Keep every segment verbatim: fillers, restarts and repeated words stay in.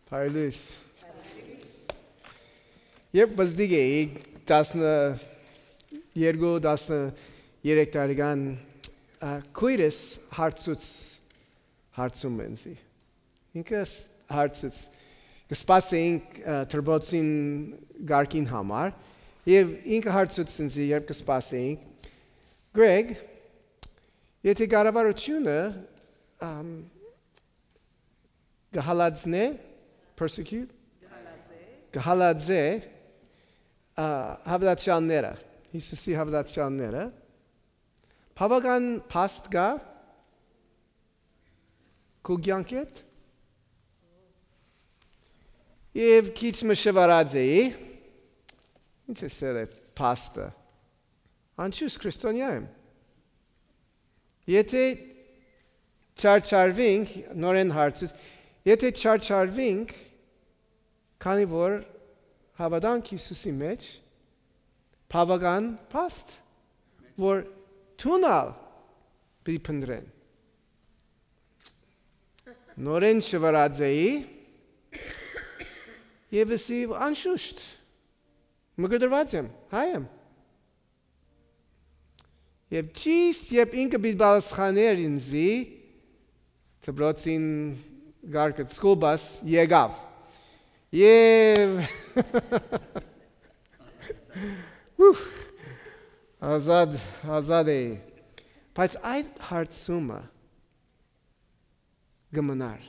Բարի լոյս։ Երբ պզտիկ էի, տասներկու, տասներեք տարեկան, ա, քոյրս հարցուց, հարցում ինձի։ Ինքը ս-, հարցուց, կը սպասէինք, ա, դպրոցին կարգին համար, եւ ինքը հարցուց ինձի, երբ կը սպասէինք, «Գրեգ, եթե կառավարութիւնը, ամ, կը հալածնէ, persecute, կը հալածէ, ա, հաւատացեալները, Յիսուսի հաւատացեալները, բաւական փաստ կայ քու կեանքէդ»։ Եւ քիչ մը շուարած էի, ինչ է սերը փաստը, անշուշտ քրիստոնեայ եմ։ Եթե չարչարվինք, նորէն հարցուց, եթե չարչարվինք, քանի որ հաւատանք Յիսուսի մէջ, բաւական փաստ, որ դուն ալ պիտի փնտռեն։ Նորէն շվարած էի եւ ըսի, անշուշտ, մկրտված եմ, հայ եմ։ Եւ ճիշտ երբ ինքը պիտի պատասխաներ ինձի, դպրոցին կարգը, school bus եկաւ։ Եւ ուֆ, ազատ, ազատ էի։ Բայց այդ հարցումը կը մնար։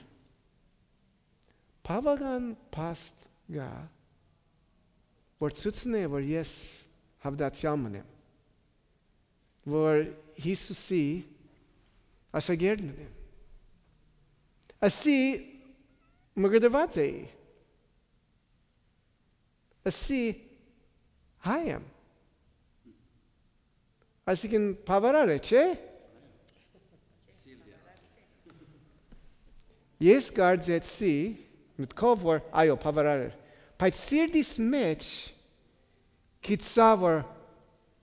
Բաւական փաստ կայ, որ ցուցնէ, որ ես հաւատացեալ մըն եմ, որ Յիսուսի աշակերտ մըն եմ։ Ասի մկրտված էի։ Ասի հայ եմ։ Այսինքն բաւարար է, չէ՞։ Ես կարծեցի մտքով, որ այո, բաւարար էր, բայց սիրտիս մէջ գիտցայ, որ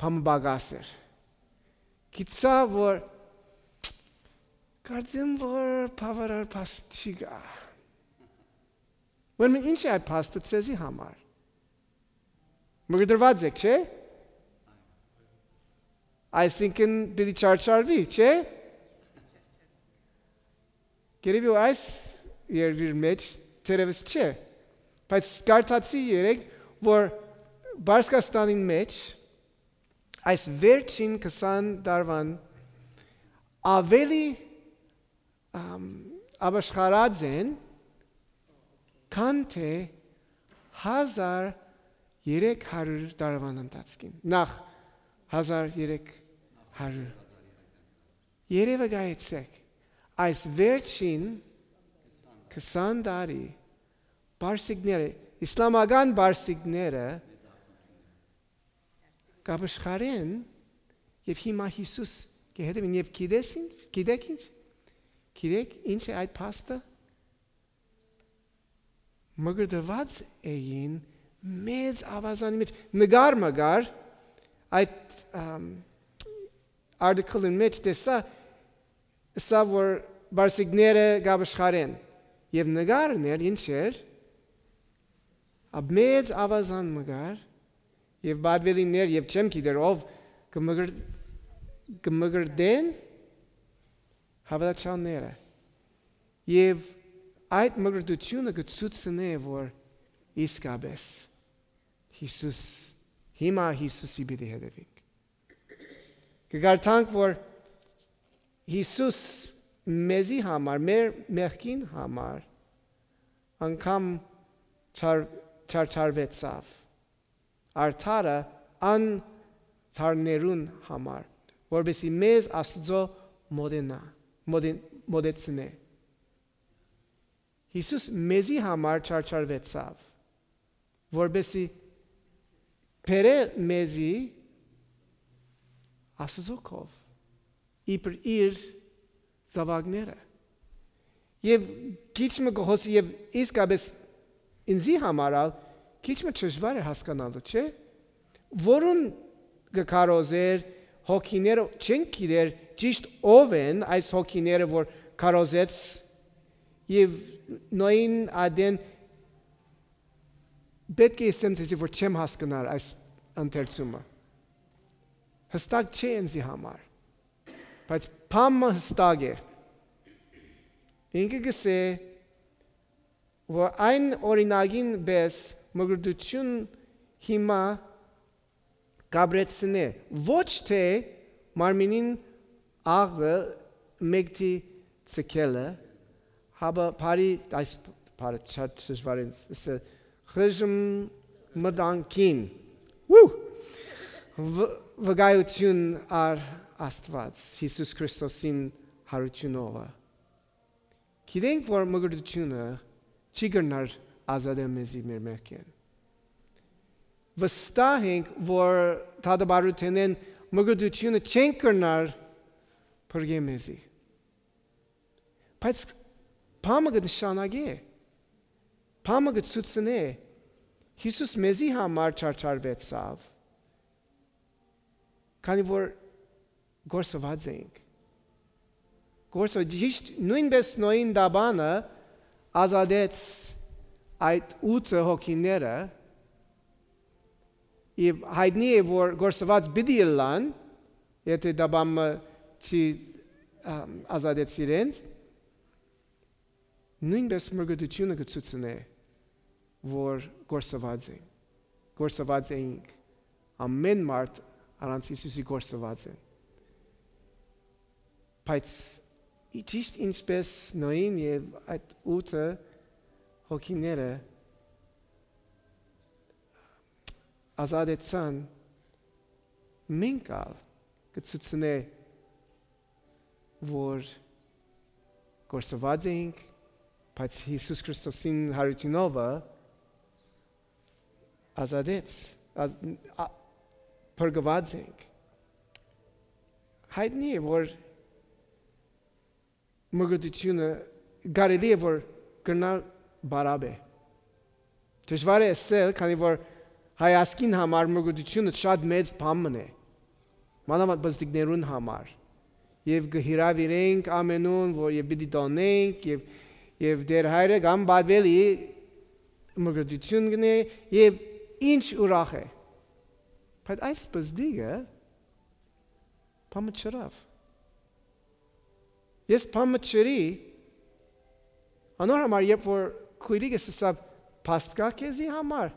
բան պակաս էր։ Գիտցայ, որ կարծեմ, որ բաւարար փաստ չի գայ։ Ուրեմն ի՞նչ է այդ փաստը ձեզի համար։ Մկրտված եք, չէ՞։ Այսինքն պիտի չարչարվի, չէ՞։ Երևի այս երկրի մէջ թերեւս չէ, բայց կարդացի երեկ, որ Պարսկաստանին մէջ այս վերջին քսան տարուան աւելի, ամ, ապաշխարած են, քան թէ հազար երեք հարիւր տարուան ընթացքին։ Նախ հազար երեք հարիւր։ Երևը գայեցեք, այս վերջին քսան տարի պարսիկները, իսլամական պարսիկները կ'ապաշխարեն եւ հիմա Յիսուս կը հետեւին։ Եւ գիտես ինչ, գիտեք ինչ, գիտեք ինչ է այդ փաստը։ Մկրտված էին մեծ աւազանի մէջ։ Նկար մը կար, այդ, ամ, article-ին մէջ տեսայ, ըսաւ, որ պարսիկները կ'ապաշխարեն։ Եւ նկարն էր, ինչ էր, ա, մեծ աւազան մը կար, եւ պատվելիներ, եւ չեմ գիտեր ով կը մկր-, կը մկրտեն հաւատացեալները։ Եւ այդ մկրտութիւնը կը ցուցնէ, որ իսկապէս Յիսուս, հիմա Յիսուսի պիտի հետեւինք։ Կը կարդանք, որ Յիսուս մեզի համար, մեր մեղքին համար, անգամ չար-, չարչարուեցաւ, արդարը անթարներուն համար, որպեսզի մեզ Աստուծոյ մոտենայ, մոտեն-, մոտեցնէ։ Յիսուս մեզի համար չարչարուեցաւ, որպեսզի բերէ մեզի Աստուծոյ քով, իբր իր զաւակները։ Եւ քիչ մը կը խօսի, եւ իսկապէս ինձի համար ալ քիչ մը դժուար է հասկանալու, չէ՞։ Որուն կը քարոզէր հոգիները, չենք գիտեր ճիշտ ով են այս հոգիները, որ քարոզեց, եւ Նոյին ատեն Պէտք է ըսեմ ձեզի, որ չեմ հասկնար այս ընթերցումը։ Յստակ չէ ինծի համար, բայց բան մը յստակ է։ Ինքը կ'ըսէ, որ այն օրինակին պէս մկրտութիւն հիմա կ'ապրեցնէ, ոչ թէ մարմինին աղը մեկդի ցկելը, հապա բարի, այս բարը շատ դժուար է, ըսը խժմ մտանքին, ու, վ-, վկայութիւն առ Աստուած, Յիսուս Քրիստոսին յարութիւնովը։ Գիտենք, որ մկրտութիւնը չի կրնար ազատել մեզի մեր մեղքէն։ Վստահ ենք, որ դատապարտութենէն մկրտութիւնը չենք կրնար փրկել մեզի։ Բայց բան մը կը նշանակէ, բան մը կը ցուցնէ, Յիսուս մեզի համար չարչարուեցաւ, քանի որ կորսուած էինք։ Կորսուած, ճիշդ նոյնպէս Նոյին տապանը ազատեց այդ ութը հոգիները, եւ յայտնի է, որ կորսուած պիտի ըլլան, եթէ տապանը չի, ա, ազատեց իրենց, նոյնպէս մկրտութիւնը կը ցուցնէ, որ կորսուած են, կորսուած էինք, ամէն մարդ առանց Յիսուսի կորսուած են։ Բայց ի-, ճիշդ ինչպէս Նոյին եւ այդ ութը հոգիները ազատեցան, մենք ալ կը ցուցնէ, որ կորսուած էինք, բայց Յիսուս Քրիստոսին յարութիւնովը ազատեց, ազդ-, ա-, փրկուած ենք։ Յայտնի է, որ մկրտութիւնը կարելի է, որ կրնար բարապ է։ Դժուար է ըսել, քանի որ հայ ազգին համար մկրտութիւնը շատ մեծ բան մըն է, մանաւանդ պզտիկներուն համար։ Եւ կը հրաւիրենք ամենուն, որ եւ պիտի տոնենք, եւ, եւ Տէր Հայրը կամ պատուելի մկրտութիւն կ'ընէ, եւ ինչ ուրախ է։ Բայց այս պզտիկը բան մը չըրաւ։ Ես բան մը չըրի, անոր համար, երբ որ քոյրիկս ըսաւ, փաստ կա քեզի համար։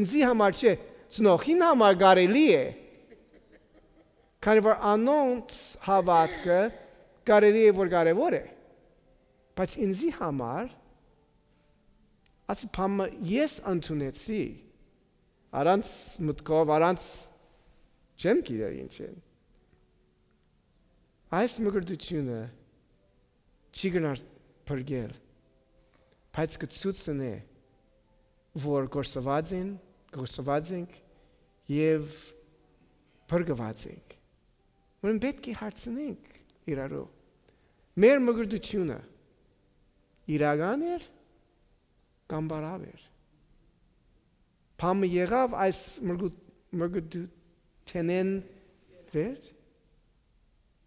Ինձի համար չէ, ծնողին համար կարելի է, քանի որ անոնց հաւատքը կարելի է, որ կարեւոր է, բայց ինձի համար ասի բան մը ես ընդունեցի, առանց մտքով, առանց չեմ գիտեր ինչ են։ Այս մկրտութիւնը չի գնար փրկել, բայց կը ցուցնէ, որ կորսուած են, կորսուած ենք եւ փրկուած ենք։ Ուրեմն պէտք է հարցնենք իրարու. մեր մկրտութիւնը իրական էր կամ բարապ էր։ Բան մը եղաւ այս մրգու-, մրգութենէն վեր։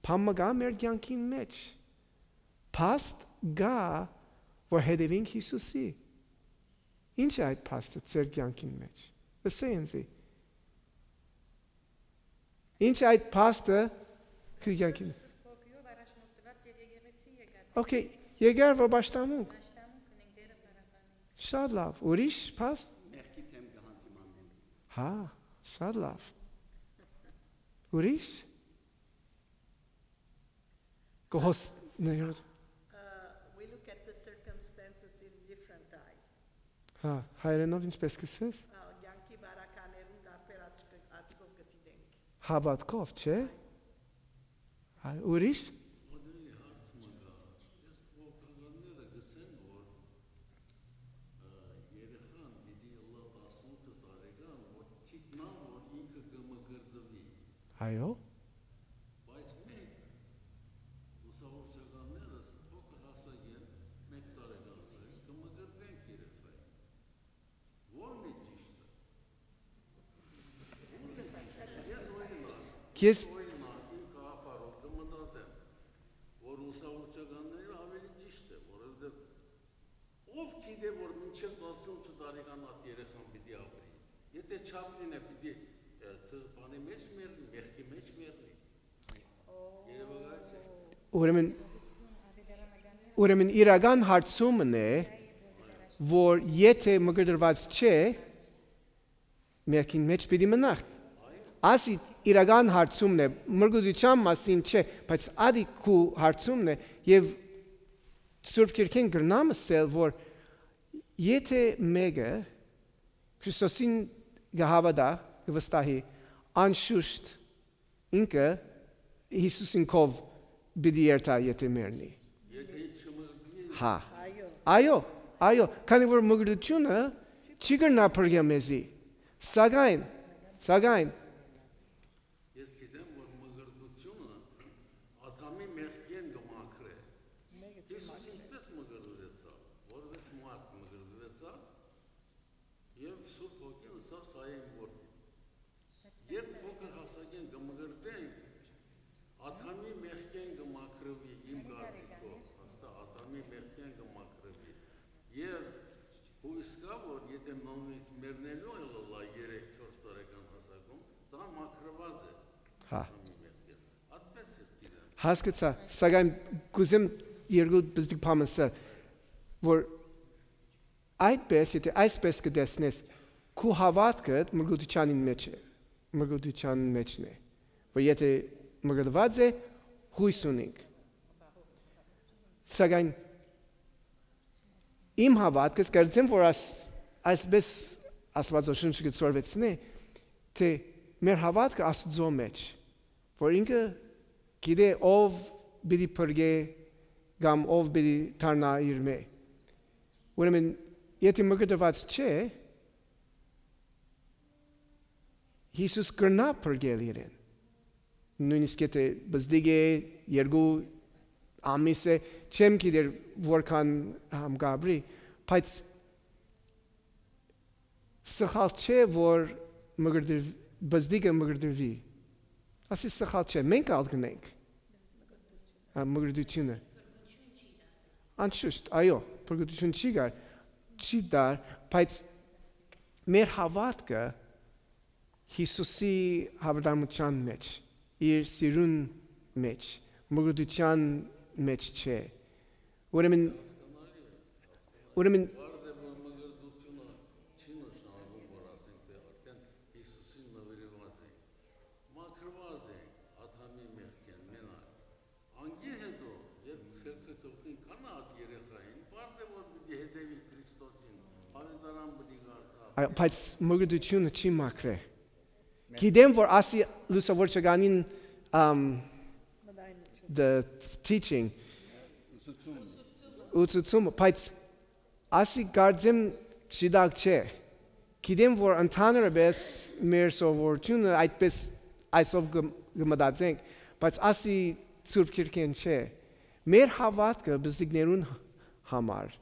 Բան մը կա մեր կեանքին մեջ։ Փաստ կա, որ հետևենք Յիսուսի։ Ինչ է այդ փաստը ձեր կեանքին մեջ։ Ըսէ ինձի։ Ինչ է այդ փաստը քու կեանքին։ Հոգիով առաջնորդված եւ եկեղեցի եկած է։ Okay, եկար որ պաշտամունք։ Պաշտամունք ունենք Տերը փառաբանենք։ Շատ լավ, ուրիշ փաստ։ Մեղքի դեմ կը հանդիմաննեն։ Հա, շատ լավ։ Ուրիշ։ Կհոս-, ներ-, Uh, we look at the circumstances in different eye. Հա, հայերենով ինչպես կսես։ Ա, կյանքի բարականերուն տարբեր աչք-, աչքով կը դիտենք։ Հաւատքով, չէ՞։ Հայ, ուրիշ։ Ուրիշ հարց մը կա։ Ես հոգականները կսեն, որ, ը, երեխան պիտի ըլլայ տասնութ տարեկան, որ գիտնան, որ ինքը կը մկրտուի։ Այո։ Բայց մենք, լուսավորչականներս, փոքր հասակէն, մէկ տարեկան ծերին, կը մկրտենք երեխային։ Ո՞րն է ճիշդը։ Ո՞րն է ճիշդը։ Ես օրինակ, Ես օրինակ, իմ գաղափարով կը մտածեմ, որ լուսավորչականները ավելի ճիշդ է, որովհետև Ո՞վ գիտէ որ մինչեւ տասնութ տարեկան այդ երեխան պիտի ապրի։ Եթե չափ լինէ, պիտի, ը, թ-, բանի մեջ մեռնի, մեղքի մեջ մեռնի։ Երևակայ՞ց է։ Ուրեմն, ուրեմն իրական հարցումն է, որ եթե մկրտված չէ, մեղքին մեջ պիտի մնա։ Ասի իրական հարցումն է, մկրտության մասին չէ, բայց ադի քու հարցումն է, եւ Սուրբ Գիրքէն կրնամ ասել, որ եթե մեկը Քրիստոսին կը հաւատայ, կը վստահի, անշուշտ ինքը Յիսուսին քով պիտի երթայ, եթե մեռնի։ Հա։ Այո, այո, քանի որ մկրտությունը չի կրնայ փրկել մեզի, սակայն, սակայն Ես գիտեմ, որ մկրտությունը Ադամի մեղքէն կը մաքրէ։ Յիսուս ինչպե՞ս մկրտուեցաւ, որպես մարդ մկրտուեցաւ, եւ Սուրբ Հոգին ըսաւ սա է իմ որդին։ Երբ փոքր հասակէն կը մկրտեն, Ադամի մեղքէն կը մաքրուի իմ կարծիքով, հաստա Ադամի մեղքէն կը մաքրուի։ Եւ հույս կայ, որ եթե նորմից մեռնելու էլ ըլլայ երեք չորս տարեկան հասակում, դա մաքրուած է Հա։ Ադամի մեղքէն։ Այդպես ես գիտեմ։ Հասկացայ, սակայն կ'ուզեմ երկու բզդիկ բան ասել, որ այդպես, եթե այսպես կը տեսնես, քու հաւատքը մկրտութեանին մեջ է, մկրտութեան մեջն է, որ եթե մկրտուած է, յոյս ունինք։ Սակայն իմ հաւատքս, կարծեմ, որ աս-, այսպես Աստուածաշունչը կը ցորվեցնէ, թէ մեր հաւատքը Աստուծոյ մեջ, որ ինքը գիտէ ով պիտի փրկէ կամ ով պիտի դառնայ իրմէ։ Ուրեմն, եթե մկրտուած չէ, Յիսուս կրնայ փրկել իրեն։ Նոյնիսկ եթե բզդիկ է, երկու ամիս է, չեմ գիտեր որքան համ կ'ապրի, բայց սխալ չէ, որ մկրտվ-, բզդիկը մկրտվի։ Ասի սխալ չէ, մենք ալ կ'ընենք։ Հա, մկրտությունը։ Անշուշտ, այո, փրկություն չի գար, չի դար, բայց մեր հաւատքը Յիսուսի հաւատարմութեան մեջ, իր սիրուն մեջ, մկրտութեան մեջ չէ։ Ուրեմն, ուրեմն Պարզ է, որ մկրտությունը չի նշանակում, որ ասենք, թէ արդեն Յիսուսին նվիրուած ենք, մաքրուած ենք Ադամի մեղքէն մենակ։ Անկի հետո, երբ խելքը կողքին կանայ այդ երեխային, պարզ է, որ պիտի հետևի Քրիստոսին, աւետարան պիտի կարդա։ Այո, բայց մկրտությունը չի մաքրէ։ Գիտեմ, որ ասի լուսաւոր չկանին, ամ, the teaching, ուսուցումը, բայց ասի կարծեմ չդակ չէ։ Գիտեմ, որ ընդհանրապես մեր սովորությունը այդպես այսով կը, կը մտածենք, բայց ասի Սուրբ Գիրքէն չէ։ Մեր հաւատքը բզդիկներուն համար,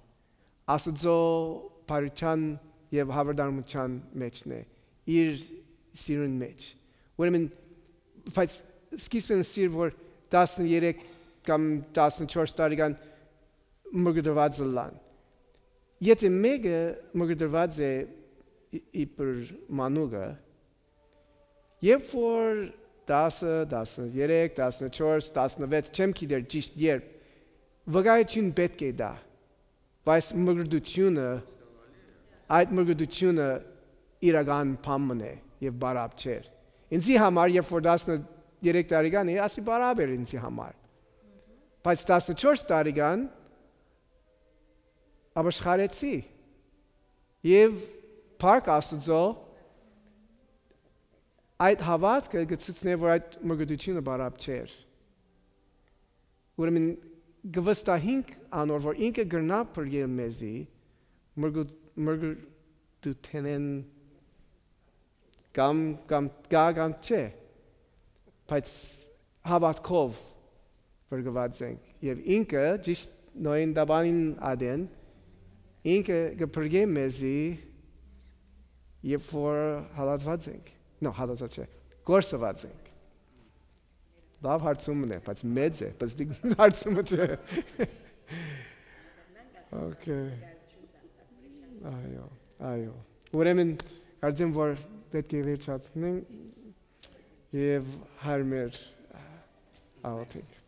Աստուծոյ բարութեան եւ հաւատարմութեան մեջն է, իր սիրուն մեջ։ Ուրեմն, բայց սկիզբն սիր, որ տասներեք կամ տասնչորս տարեկան մկրտուած ըլլան։ Եթե մեկը մկրտուած է ի-, իբր մանուկը, երբ որ տասը, տասներեք, տասնչորս, տասնվեց, չեմ գիտեր ճիշտ երբ, վկայություն պէտք է տայ, բայց մկրտությունը, այդ մկրտությունը իրական բան մըն է եւ բարապ չէր։ Ինձի համար, երբ որ տասներեք տարեկան էի, ասի բարապ էր ինձի համար։ Բայց տասնչորս տարեկան ապաշխարեցի եւ փառք Աստուծոյ, այդ հաւատքը կը ցուցնէ, որ այդ մկրտությունը բարապ չէր։ Ուրեմն կը վստահինք անոր, որ ինքը կրնայ փրկել մեզի մկրտ-, մկրտութենէն կամ, կամ, կա կամ չէ, բայց հաւատքով փրկուած ենք։ Եւ ինքը, ճիշտ Նոյին տապանին ատեն, ինքը կը փրկէ մեզի, երբ որ հալածուած ենք։ No, հալածուած չէ, կորսուած ենք։ Լաւ հարցումն է, բայց մեծ է, պզտիկ հարցումը չէ։ Okay. Այո, այո։ Ուրեմն, կարծեմ, որ պէտք է վերջացնենք եւ հարմեր աղոթենք։